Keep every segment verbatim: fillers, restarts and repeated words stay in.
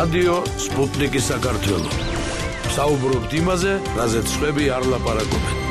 რადიო სპუტნიკი საქართველო. საუბრობთ იმაზე, რაზეც სხვები არ ლაპარაკობენ.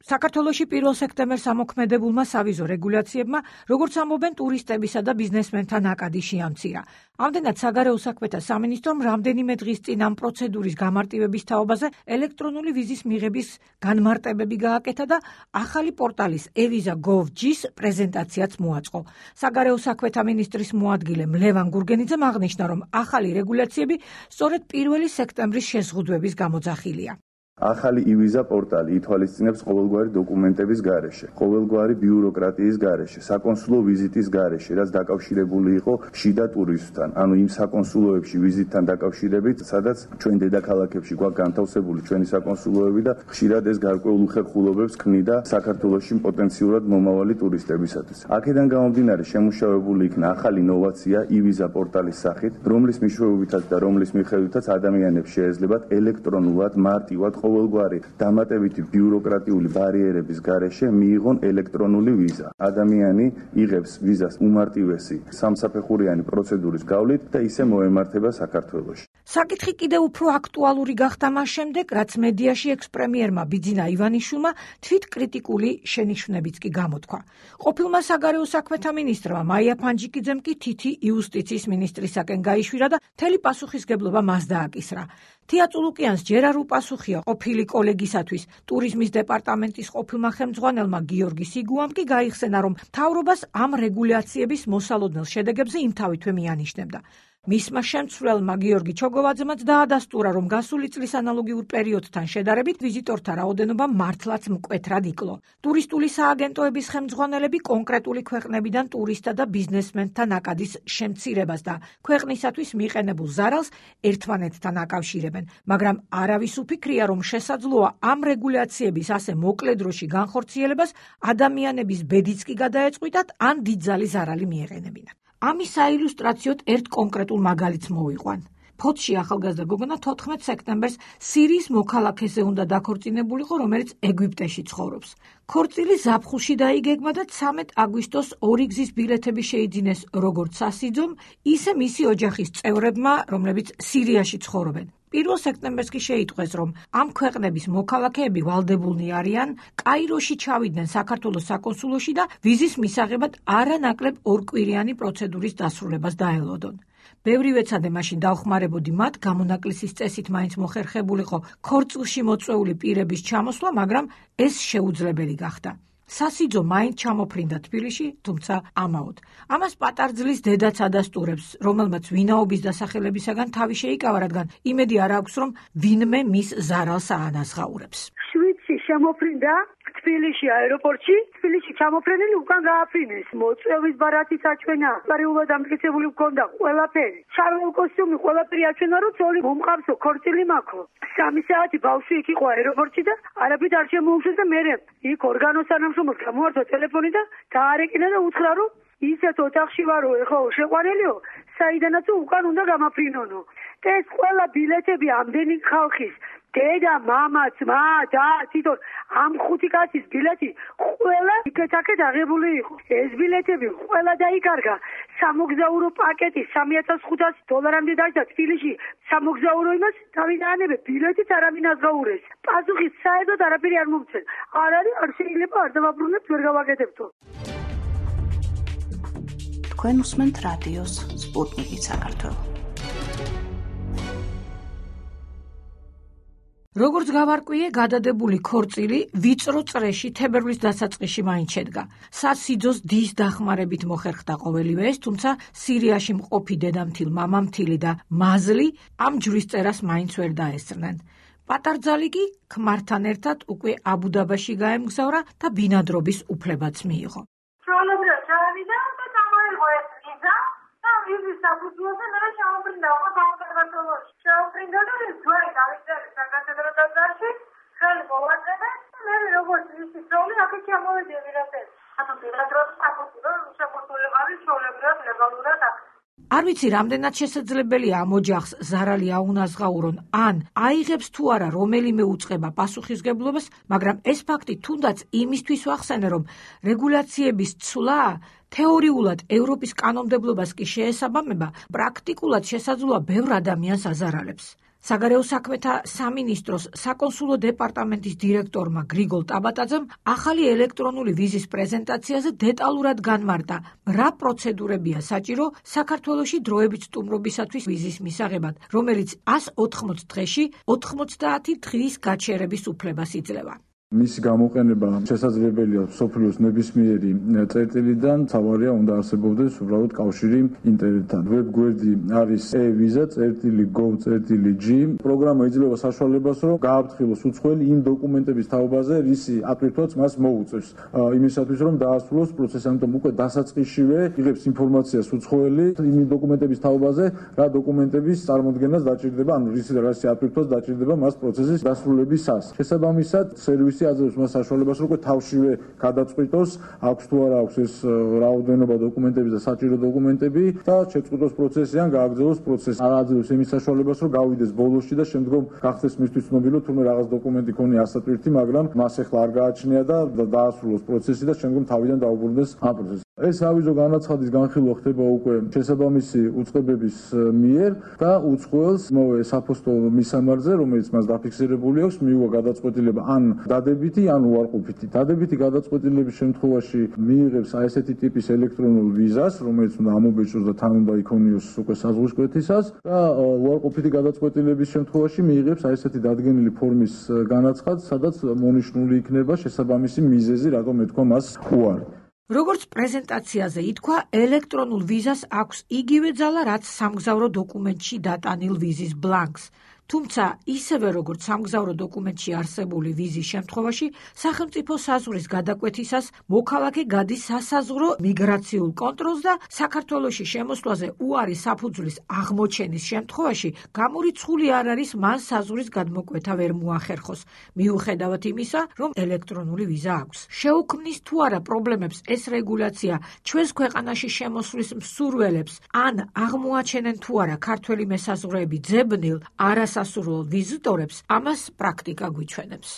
საქართველოში პირველ სექტემბერს ამოქმედებულმა სავიზო რეგულაციებმა, როგორც ამბობენ, ტურისტებისა და ბიზნესმენთა ნაკადი შეამცირა. ამდენად საგარეო საქმეთა სამინისტრომ რამდენიმე დღის წინ ამ პროცედურის გამარტივების თაობაზე ელექტრონული ვიზის მიღების განმარტებები გააკეთა და ახალი პორტალის e-visa точка gov точка gr-ის პრეზენტაციაც მოაწყო. საგარეო საქმეთა მინისტრის მოადგილე ლევან გურგენიძემ აღნიშნა, რომ ახალი რეგულაციები სწორედ პირველი სექტემბრის შეზღუდვების გამოძახილია. ახალი e-visa პორტალი ითვალისწინებს ყოველგვარი დოკუმენტების გარეშე, ყოველგვარი ბიუროკრატიის გარეშე, საკონსულო ვიზიტის გარეშე, რაც დაკავშირებული იყო შიდა ტურისტთან, ანუ იმ საკონსულოებში ვიზიტთან დაკავშირებით, სადაც ჩვენ დედაქალაქებში გვაქვს განთავსებული ჩვენი საკონსულოები და ხშირად ეს გარკვეულ უხერხულობებს ქმნიდა საქართველოში პოტენციურად მომავალი ტურისტებისათვის. აქედან გამომდინარე შემუშავებული იქნა ახალი ინოვაცია e-visa პორტალის სახით, რომლის მეშვეობითაც და რომლის მიხედვითაც ადამიანებს შეეძლებათ ელექტრონულად მარტივად ყოველგვარი დამატებითი ბიუროკრატიული ბარიერების გარეშე მიიღონ ელექტრონული ვიზა. ადამიანი იღებს ვიზას უმარტივესი სამსაფეხურიანი პროცედურის გავლით და ისე მოემართება საქართველოში. საკითხი კიდევ უფრო აქტუალური გახდა მას შემდეგ, რაც მედიაში ექს-პრემიერმა ბიძინა ივანიშვილმა თვით კრიტიკული შენიშვნებიც კი გამოთქვა. ყოფილმა საგარეო საქმეთა მინისტრმა მაია ფანჯიკიძემ კი თითი იუსტიციის მინისტრისაკენ გაიშვირა და მთელი პასუხისგებლობა მას დააკისრა. თია წულუკიანს ჯერ არ უპასუხია ყოფილი კოლეგისათვის ტურიზმის დეპარტამენტის ყოფილმა ხელმძღვანელმა გიორგი სიგუამ კი გაიხსენა, რომ მთავრობას ამ რეგულაციების მოსალოდნელ შედეგებზე იმთავითვე მიანიშნებდა. მისმა შემცვლელმა გიორგი ჩოგოვაძემაც დაადასტურა, რომ გასული წლის ანალოგიურ პერიოდთან შედარებით ვიზიტორთა რაოდენობა მართლაც მკვეთრად იკლო. ტურისტული სააგენტოების ხელმძღვანელები კონკრეტული ქვეყნებიდან ტურისტთა და ბიზნესმენთა ნაკადის შემცირებას და ქვეყნისათვის მიყენებულ ზარალს ერთმანეთთან აკავშირებენ, მაგრამ არავის უფიქრია, რომ შესაძლოა ამ რეგულაციების ასე მოკლე დროში განხორციელებას ადამიანების ბედიც კი გადაეწყვიტათ, ან დიდძალი ზარალი მიეყენებინათ. ამის საილუსტრაციოდ ერთ კონკრეტულ მაგალითს მოვიყვან. ფოთში ახალგაზრდა გოგონა თოთხმეტ სექტემბერს სირიის მოქალაქეზე უნდა დაქორწინებულიყო, რომელიც ეგვიპტეში ცხოვრობს. ქორწილი ზაფხულში დაიგეგმა და ცამეტ აგვისტოს ორი გზის ბილეთები შეიძინეს როგორც სასიძომ, ისე მისი ოჯახის წევრებმა, რომლებიც სირიაში ცხოვრობენ. პირველ სექტემბერს კი შეიტყვეს, რომ ამ ქვეყნების მოქალაქეები ვალდებულნი არიან კაიროში ჩავიდნენ საქართველოს საკონსულოში და ვიზის მისაღებად არანაკლებ ორკვირიანი პროცედურის დასრულებას დაელოდონ. ბევრი ვეცადე მაშინ დავხმარებოდი მათ გამონაკლისის წესით მაინც მოხერხებულიყო ქორწილში მოწვეული პირების ჩამოსვლა, მაგრამ ეს შეუძლებელი გახდა. სასიძო მაინც ჩამოფრინდა თბილისში, თუმცა ამაოდ. ამას პატარძლის დედაც ადასტურებს, რომელმაც ვინაობის დასახელებისაგან თავი შეიკავა, რადგან იმედი არ აქვს, რომ ვინმე მის ზარალს აანაზღაურებს. შვიდში შემოფრინდა თბილისში აეროპორტში, თბილისში ჩამოფრენილი უკან გააფრინეს. მოწვევის ბარათი საჩვენა, პარიულად ამტკიცებული მქონდა ყველაფერი. შარვალ კოსტიუმი ყველაფერი აჩვენა, რომ ცოლი მომყავსო, ქორწილი მაქვს. სამი საათი ბავშვი იქ იყო აეროპორტში და არაფრით არ შემოუშვეს და მერე იქ ორგანოს თანამშრომელს გამოართვა ტელეფონი და დაარეკინა და უთხრა, რომ ისეთ ოთახში ვარო, ეხლა შეყვანილიო, საიდანაც უკან უნდა გამაფრინონო. და ეს ყველა ბილეთები ამდენი ხალხის, დედა, მამა, ძმა, და თვითონ ამ ხუთი კაცის ბილეთი ყველა იქეთ-აქეთ აღებული იყო. ეს ბილეთები ყველა დაიკარგა. სამოგზაურო პაკეტი სამი ათას ხუთასი დოლარამდე დაჯდა თბილისში. სამოგზაურო იმას დავიდანებე, ბილეთიც არავინ აზღაურეს. პასუხი საერთოდ არაფერი არ მომცენ. არ არის, არ შეიძლება, არ დავაბრუნებთ, ვერ გავაკეთებთო. თქვენ უსმენთ რადიოს სპუტნიკი საქართველო. როგორც გავარკვიე, გადადებული ქორწილი ვიწრო წრეში თებერვლის დასაწყისში მაინც შედგა. სასიძოს დის დახმარებით მოხერხდა ყოველივე ეს, თუმცა სირიაში მყოფი დედამთილ, მამამთილი და მაზლი ამ ჯვრის წერას მაინც ვერ დაესწრნენ. პატარძალი კი ქმართან ერთად უკვე აბუდაბაში გაემგზავრა და ბინადრობის უფლებაც მიიღო. ჩვეულებრივად ჩავიდა და გამოიღო ეს ვიზა და ვიზის საფუძველზე მე შემოფრინდა უკვე საქართველოში. შემოფრინდა და ძველი დავიწერე საკათედრო ტაძარში, ხელი მოვაწერე და მე როგორც ისი ძოლი აქეთ ჩამოვედი ვირატეს. ანუ ბინადრობის საფუძველი შემოსული ვარი ჩვეულებრივად ლეგალურად აქ. არ ვიცი, რამდენად შესაძლებელია ამ ოჯახს ზარალი აუნაზღაურონ, ან აიღებს თუ არა რომელიმე უწყება პასუხისგებლობას, მაგრამ ეს ფაქტი თუნდაც იმისთვის ვახსენე, რომ რეგულაციების ცვლა თეორიულად ევროპის კანონმდებლობას კი შეესაბამება, პრაქტიკულად შესაძლოა ბევრ ადამიანს აზარალებს. საგარეო საქმეთა სამინისტროს საკონსულო დეპარტამენტის დირექტორმა გრიგოლ ტაბატაძემ ახალი ელექტრონული ვიზის პრეზენტაციაზე დეტალურად განმარტა, რა პროცედურებია საჭირო საქართველოში დროებით სტუმრობისათვის ვიზის მისაღებად, რომელიც ასი ოთხმოცი დღეში ოთხმოცდაათი დღის გაჩერების უფლებას იძლევა. მისი გამოყენება შესაძლებელია სოფლიოს ნებისმიერი წერტილიდან, თავარია უნდა არსებობდეს უბრალოდ კავშირი ინტერნეტთან. ვებგვერდი არის e-visa წერტილი gov წერტილი g. პროგრამა იძლევა საშუალებას, რომ გააფრთხილოს უცხოელი იმ დოკუმენტების თაობაზე, რისი ატვირთვაც მას მოუწევს. იმისათვის, რომ დაასრულოს პროცესი, ამიტომ უკვე დასაწყისშივე იღებს ინფორმაციას უცხოელი იმ დოკუმენტების თაობაზე, რა დოკუმენტების წარმოდგენას დაჭირდება, ანუ რისი რასი ატვირთვას დაჭირდება მას პროცესის დასრულებისას. შესაბამისად, სერვისი აძლევს მას საშუალებას, რომ თავშივე გადაწყვიტოს, აქვს თუ არა აქვს ეს რაოდენობა დოკუმენტების და საჭირო დოკუმენტები და შეწყვიტოს პროცესი ან გააგრძელოს პროცესი. არ აძლევს იმის საშუალებას, რომ გავიდეს ბოლოსში და შემდგომ გახდეს მისთვის ცნობილი, თუნდაც რაღაც დოკუმენტი ქონია ასატვირთი, მაგრამ მას ახლა არ გააჩნია და დაასრულოს პროცესი და შემდგომ თავიდან დაუბრუნდეს ამ პროცესს. ეს ავიზო განაცხადის განხილვა ხდება უკვე შესაბამისი უწყებების მიერ და უცხოელს მოე საფოსტო მისამართზე, რომელიც მას დაფიქსირებული აქვს, მიუღია გადაწყვეტილება ან დადებითი, ან უარყოფითი. დადებითი გადაწყვეტილების შემთხვევაში მიიღებს აი ესეთი ტიპის ელექტრონულ ვიზას, რომელიც უნდა ამობეჭდოს და თან უნდა იქონიოს უკვე საზღვისკვეთისას და უარყოფითი გადაწყვეტილების შემთხვევაში მიიღებს აი ესეთი დადგენილი ფორმის განაცხადს, სადაც მონიშნული იქნება შესაბამისი მიზეზი, რატომ ეთქვა მას უარი. როგორც პრეზენტაციაზე ითქვა, ელექტრონულ ვიზას აქვს იგივე ძალა, რაც სამგზავრო დოკუმენტში დატანილ ვიზის ბლანკს. თუმცა, ისევე როგორც სამგზავრო დოკუმენტში არსებული ვიზის შემთხვევაში, სახელმწიფო საზღვრის გადაკვეთისას მოქალაქე გადის სასაზღვრო მიგრაციულ კონტროლს და საქართველოში შემოსვლაზე უარი საფუძვლის აღმოჩენის შემთხვევაში გამორიცხული არ არის მან საზღვრის გადმოკვეთა ვერ მოახერხოს, მიუხედავად იმისა, რომ ელექტრონული ვიზა აქვს. შეუქმნის თუ არა პრობლემებს ეს რეგულაცია ჩვენს ქვეყანაში შემოსვლის მსურველებს, ან აღმოაჩენენ თუ არა ქართველი მესაზღვრეები ძებნილ არასასურველ ვიზიტორებს, ამას პრაქტიკა გვიჩვენებს.